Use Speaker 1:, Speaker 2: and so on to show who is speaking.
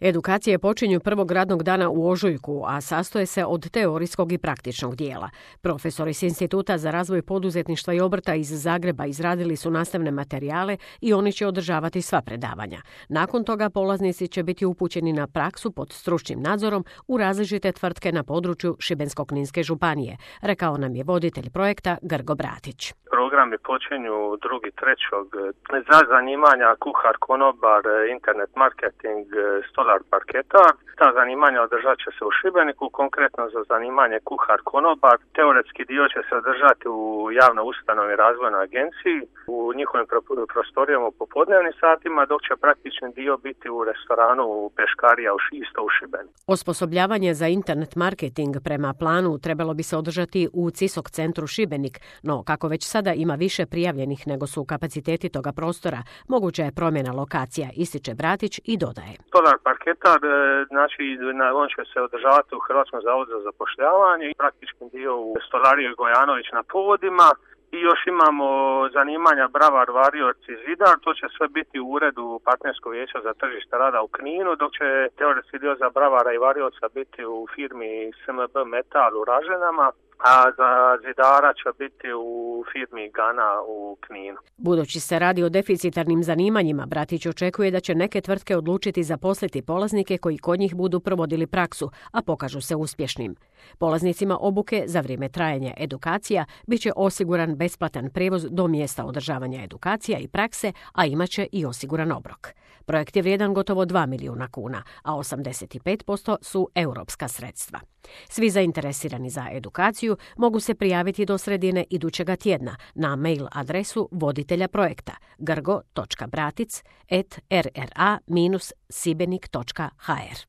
Speaker 1: Edukacije počinju prvog radnog dana u ožujku, a sastoje se od teorijskog i praktičnog dijela. Profesori s Instituta za razvoj poduzetništva i obrta iz Zagreba izradili su nastavne materijale i oni će održavati sva predavanja. Nakon toga polaznici će biti upućeni na praksu pod stručnim nadzorom u različite tvrtke na području Šibensko-kninske županije, rekao nam je voditelj projekta Grgo Bratić.
Speaker 2: Programi počinju 2.3. za zanimanja kuhar, konobar, internet marketing, stolar, parketar. Ta zanimanja održat će se u Šibeniku, konkretno za zanimanje kuhar, konobar. Teoretski dio će se održati u javnoj ustanovi razvojnoj agenciji, u njihovim prostorijama u popodnevnim satima, dok će praktični dio biti u restoranu Peškarija isto u Šibeniku.
Speaker 1: Osposobljavanje za internet marketing prema planu trebalo bi se održati u CISOK centru Šibenik, no kako već sada ima više prijavljenih nego su kapaciteti toga prostora, moguća je promjena lokacija, ističe Bratić i dodaje.
Speaker 2: Stolar parketar, znači on će se održavati u Hrvatskom zavodu za zapošljavanje i praktični dio u stolariji Gojanović na povodima. I još imamo zanimanja bravar, varioci, zidar, to će sve biti u uredu partnerskog vijeća za tržište rada u Kninu, dok će teoretski dio za bravara i varioca biti u firmi SMB Metal u Raženama, a za zidara će biti u firmi Gana u Kninu.
Speaker 1: Budući se radi o deficitarnim zanimanjima, Bratić očekuje da će neke tvrtke odlučiti zaposliti polaznike koji kod njih budu provodili praksu, a pokažu se uspješnim. Polaznicima obuke za vrijeme trajanja edukacija bit će osiguran besplatan prijevoz do mjesta održavanja edukacija i prakse, a imat će i osiguran obrok. Projekt je vrijedan gotovo 2 milijuna kuna, a 85% su europska sredstva. Svi zainteresirani za edukaciju mogu se prijaviti do sredine idućega tjedna na mail adresu voditelja projekta grgo.bratic@rra-sibenik.hr.